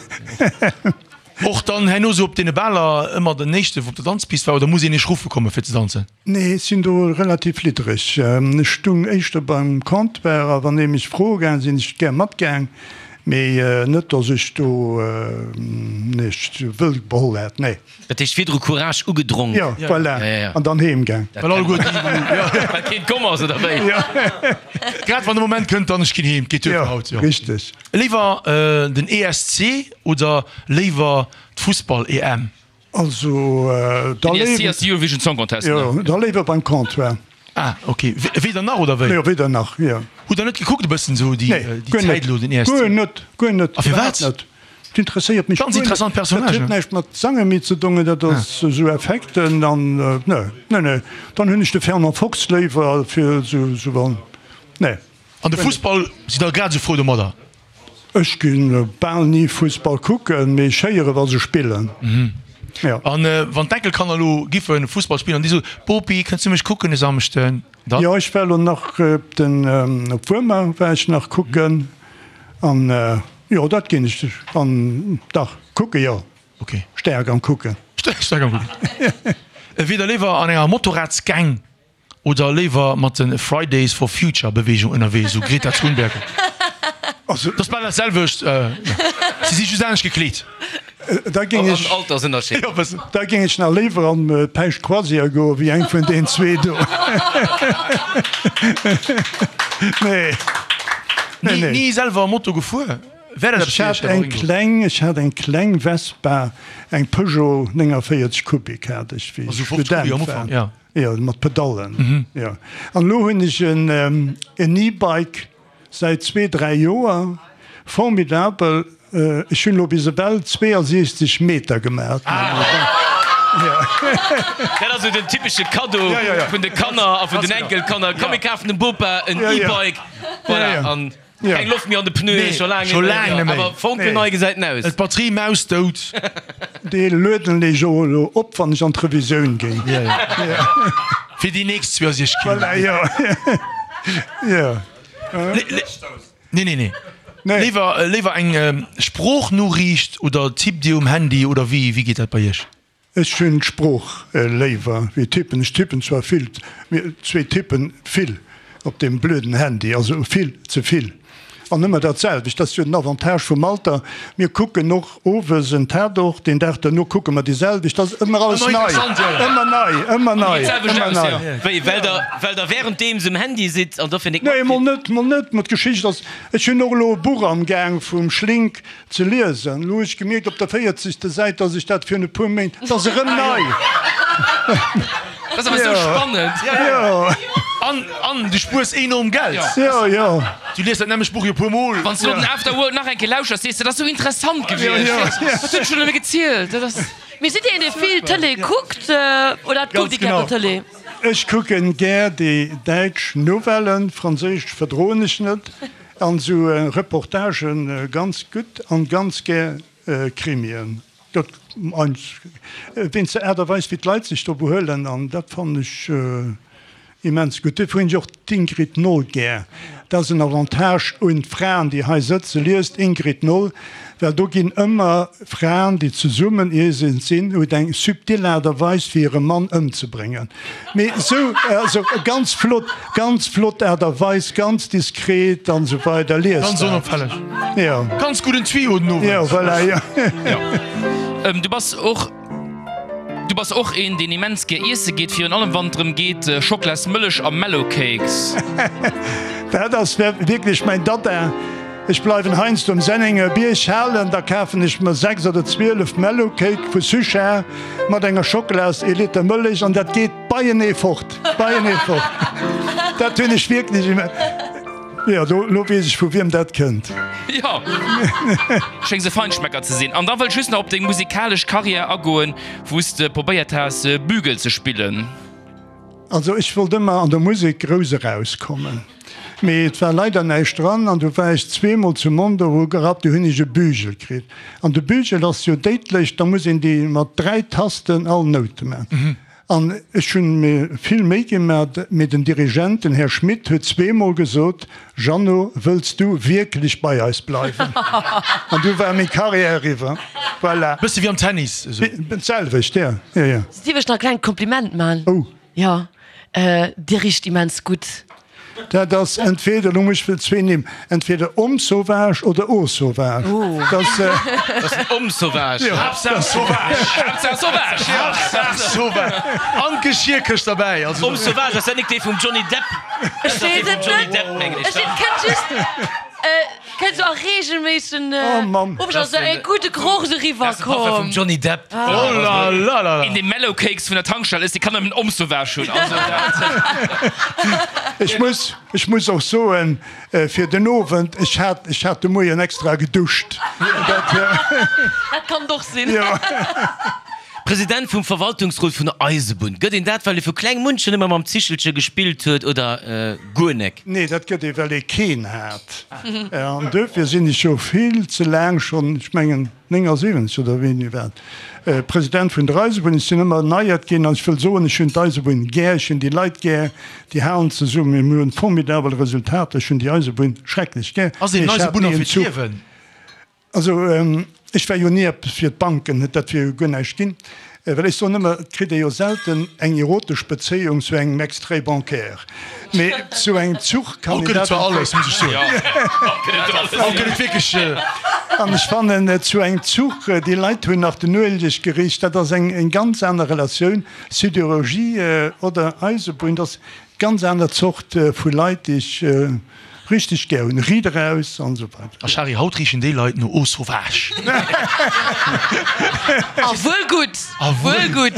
Och dann herno sou op deene Baler ëmmer den éischte wou op der Danzpist war oder muss een iech ruffe komme fir ze danzen? Nee, ech sinn do relativ liddereg. Ech stung éischter beim Comptoir a wann ee mech froe gaang, sinn ech gär matgaang, mee net datt ech do mech wëll beholl hätt, nee. Dat heescht virdru Courage ugedronk. Jo, voilà. An dann heem gaang. Well alleguer déi, wou, jo. Well keen komm ass, oder wéi? Jo. Grad wann de Moment kënnt, dann ech ginn heem, geet duer fir haut, jo. Richteg. Léiwer den E S C oder léiwer d'Fussball-E M? Also, da Den E S C léiwer. ass de Eurovision Song Contest, ne? Jo, da léiwer beim Comptoir. Ah, ok. Weder nach, oder wéi? Jo, weder nach, jo. Hutt der net gekuckt e bëssen esou déi Nee, guer Zäit net. elo, den E S C? Guer net, guer net. A firwat? Iwwerhaapt net. Dat interesséiert mech Ganz guer net. interessant Dat Personnage. huet näischt mat Sange méi ze dongen, dat ass esou Effekten an, nee, nee, nee. Dann hunn ech de Fernand Fox léiwer fir esou, esou wann, nee. An de Fussball, sidd der grad esou frou domadder? Ech gi bal ni Fussball kucken, mee ech héiere wa se spillen. Jo. An wann d'Enkelkanner elo giffe Fussball spillen an déi soen, Bopi, kënns du mech kucken e Samschden? Dann? Jo, ech war elo nach op den, op Wuermer war ech nach kucken an jo, dat ginn ech an dach kucke jo. Ok. Staark am Kucken. Staark am Kucken. Wier der léiwer an enger Motorradsgang Oder léiwer mat de Fridays for Future Beweegung ënnerwee, sou Greta Thunberg. Also, Dat ass bal dat selwecht, si si just anescht gekleet. Da géing ech, An Altersënnerscheed. Jo, bëssen. da géing ech nach léiwer an d'Päischt Croisière goe wéi eng vun deen zwee do. Nee. Nee, Ni, nee. ni selwer Moto gefuer? Wär dat eppes Ech fir hat iech, Här eng Waringo? kleng, ech hat eng kleng Vespa, eng Peugeot nénganvéierzeg Kubik hat ech, wéi ech Also fofzeg Kubik Student am war. Ufank, ja. Jo, mat Pedallen, jo. An elo hunn ech en E-Bike säit zwee, dräi Joer. Formidabel. Ech hunn elo bis ewell zweeasiechzeg Meter gemaach. Dat ass esou den typesche Kaddo vun de Kanner a vun den Enkelkanner, Komm mir kafen dem Bopa en E-Bike. Voilà, an keng Loft méi an de Pneuen, scho laang net méi, awer fonkelnei gesäit en aus. D'Batterie mausdout. Dee lueden ech och elo op, wann ech an d'Revisioun ginn. Fir déi nächst zweeasiechzeg Kilometer. Voilà, jo. Nee, nee, nee. Léiwer, léiwer eng Sproochnoriicht oder tippt Dir um Handy oder wéi, wéi geet dat bei Iech? Ech hunn d'Sprooch léiwer wéi tippen. Ech tippen zwar vill, mee zwee tippen vill op deem blöden Handy, also vill ze vill an ëmmer dat selwecht. Dat ass jo den Avantage vum Alter, mir kucken och owes en Tatort, deen Dag derno kucke mer déi selwecht, dat ass ëmmer alles nei, ëmmer nei, ëmmer nei, ëmmer nei. Wéi, well der, well der währenddeems um Handy sidd an dofir nik Nee, mol net, mol net, ma d'Geschicht ass, ech hunn och elo e Buch amgaang vum Schlink, Ze liesen. Elo hu ech gemierkt op der véierzegste Säit, dass ech dat virun e puer Méint, et ass erëm nei. Dat ass awer esou spannend. Jo. An, an du spuers enorm Geld. Jo, jo. Du lies dat nämmlecht Buch jo e puer Mol. Wann s du elo den After Work nach eng Kéier lauschters, sees de, dat ass esou interessant gewiescht. Wat huet ech elo nëmme gezielt? Dat ass. Mee sidd Dir een, dee vill Tëlee kuckt oder kuckt Dir gär Tëlee? Ech kucken gär déi däitsch Nouvellen, franséisch verdroen ech net. An sou Reportagen ganz gutt an ganz gär Krimien. Dat wéinst der Aart a Weis wéi d'Leit sech do behuelen an dat fannen ech immens gutt. Dofir hunn ech och d'Ingrid Noll gär. Dat ass en Avantage un d'Fraen déi hei sëtzen. Liest Ingrid Noll, well do ginn ëmmer Fraen déi zesummen iergend sinn, huet eng subtil Aart a Weis fir hire Mann ëmzebréngen. Mee sou, also ganz flott, ganz flott Aart a Weis, ganz diskret an esou weider. Liest Ganz dat. onopfälleg. Jo. Ganz gudden Tuyau den Owend. Jo, voilà, jo. Jo. Du bass och, du bass och een, deen immens gär iesse geet, virun allem wann et drëm geet, Schoklasmëllech a Mellowcakes. Dat ass wierklech mäin Dada. Ech bleiwen heiansdo um Sennenger Bierg halen, da kafen ech mer sechs oder zwielef Mellowcake vu Suchard mat enger Schockelas, ee Liter Mëllech an dat geet beienee fort, beienee fort. Dat hunn ech wierklech imme. Jo, do, lo weess ech vu wiem dat kënnt. Jo, schéngs e Feinschmecker ze sinn. An da wëll ech just nach op deng musikalesch Karriär agoen, wou s de probéiert has, Bügel ze spillen. Also ech wollt ëmmer an der Musek grouss erauskommen, mee et war leider näischt dran an du war ech zweemol zu Mondorf ugerappt, du hunn ech e Bügel kritt an de Bügel ass jo déidlech, da muss een déi mat dräi Tasten all Noute man an ech hunn mir vill Méi gemat, mee den Dirigent, den Här Schmitt, huet zweemol gesot, Jeannot, wëlls du wierklech bei eis bleiwen? An du war meng Carrière eriwwer, voilà. Bësse wéi am Tennis esou. D'selwecht, jo, jo, jo. Dierf ech nach e klengt Kompliment man? Oh. Jo, Dir richt immens gutt. Dat ass entweder, elo muss ech zwee Nimm, entweder Homme sauvage oder Eau sauvage. Dat ass. Dat ass den Homme sauvage. Haaptsaach sauvage. Haaptsaach sauvage, jo. Haaptsaach sauvage. An d'Geschierkëscht derbäi. Also. Homme sauvage, ass dat nik dee vum Johnny Depp? Ech weess et net. Ech kënnt just. Kënnt sou a reegelméissegen Ofstand sou e gudde Geroch sou eriwwer komm. Vum Johnny Depp. Oh la la la la. Een dee Mellow Cakes vun der Tankstell ësst, dee kann nëmmen Homme Sauvage hunn. Also dat. Ech muss, ech muss och soen, fir den Owend, ech hat, ech hat de Moien extra geduscht. Dat. Dat kann et och sinn. Jo. President vum Verwaltungsrot vun der Eisebunn. Gëtt een dat, well ee vu kleng un schonn ëmmer mam Zichelche gespillt huet oder guer nek? Nee, dat gëtt ee, well ee keen hat. An duerfir sinn ech jo vill ze laang schonn, ech mengen néngasiwwenzeg oder wéini wat, President vun der Eisebunn. Ech sinn ëmmer erneiert ginn an ech wëll soen, ech hunn d'Eisebunn gär, ech hunn déi Leit gär, déi halen zesummen, mir hunn formidabel Resultater, ech hunn déi Eisebunn schrecklech gär. Ass een Mee ech hat Eisebunner ni en fir Zuch. d'Liewen? Also ech war jo ni eppes fir d'Banken, dat wier jo guer näischt ginn, well ech soen ëmmer, et kritt ee jo selten eng erotesch Bezéiung zu engem Extrait bancaire, mee zu engem Zuch kann Haut een gëtt et dat. zwar alles, muss ech soen. Haut gëtt et wierklech. An ech fannen, zu engem Zuch, déi Leit hunn nach den Ueleg gericht, dat ass eng ganz aner Relatioun, Sidérurgie oder Eisebunn, dat ass Ganz aner Zort vu Leit déi ech richteg gär hunn. Riit eraus an esou weider. A Shari, haut richen déi Leit no Eau Sauvage. A wuel gutt, wuel gutt.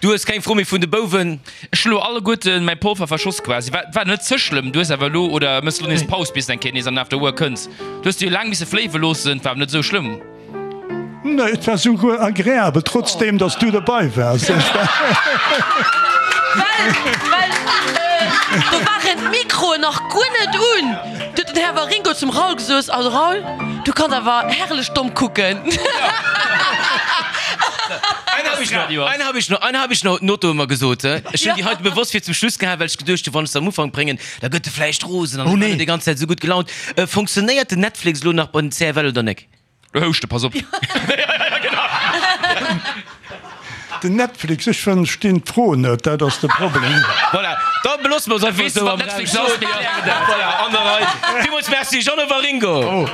Du hues keng Fro méi vun de Bouwen? Ech hunn elo alleguerten mäi Polver verschoss quasi. War, war net ze schlëmm. Du hues awer elo, oder mëss elo nees Paus bis de eng Kéier nees an den After Work kënns. Du hues de jo laang misse fléiwe loossen, war awer net esou schlëmm. Nee, et war souguer agreabel, trotzdeem dass du derbei waars. Well, well do waren d'Mikroen nach guer net un. Du huet den Här Waringo zum Raoul gesot, Also Raoul, du kanns awer herrlech domm kucken. Eng hab ech nach, eng hab ech nach, eng hab ech nach, huet den Otto ëmmer gesot. Ech hunn déi heite bewosst fir zum Schluss gehal, well ech geduecht hunn, wann ech se am Ufank bréngen, da gëtt e vläicht rosen an ech war net déi ganz Zäit esou gutt gelaunt. Fonctionnéiert den Netflix elo nach bei den C F L oder nek? Lo houscht e, pass op. Den Netflix, ech verstinn d'Fro net, dat ass de Problem. Voilà, da beloosse mer es einfach Weess de esou wat am Raum Netflix ass? stoen. Mir klären dat. Voilà, an der Rei. Villmools Merci, Jeannot Waringo.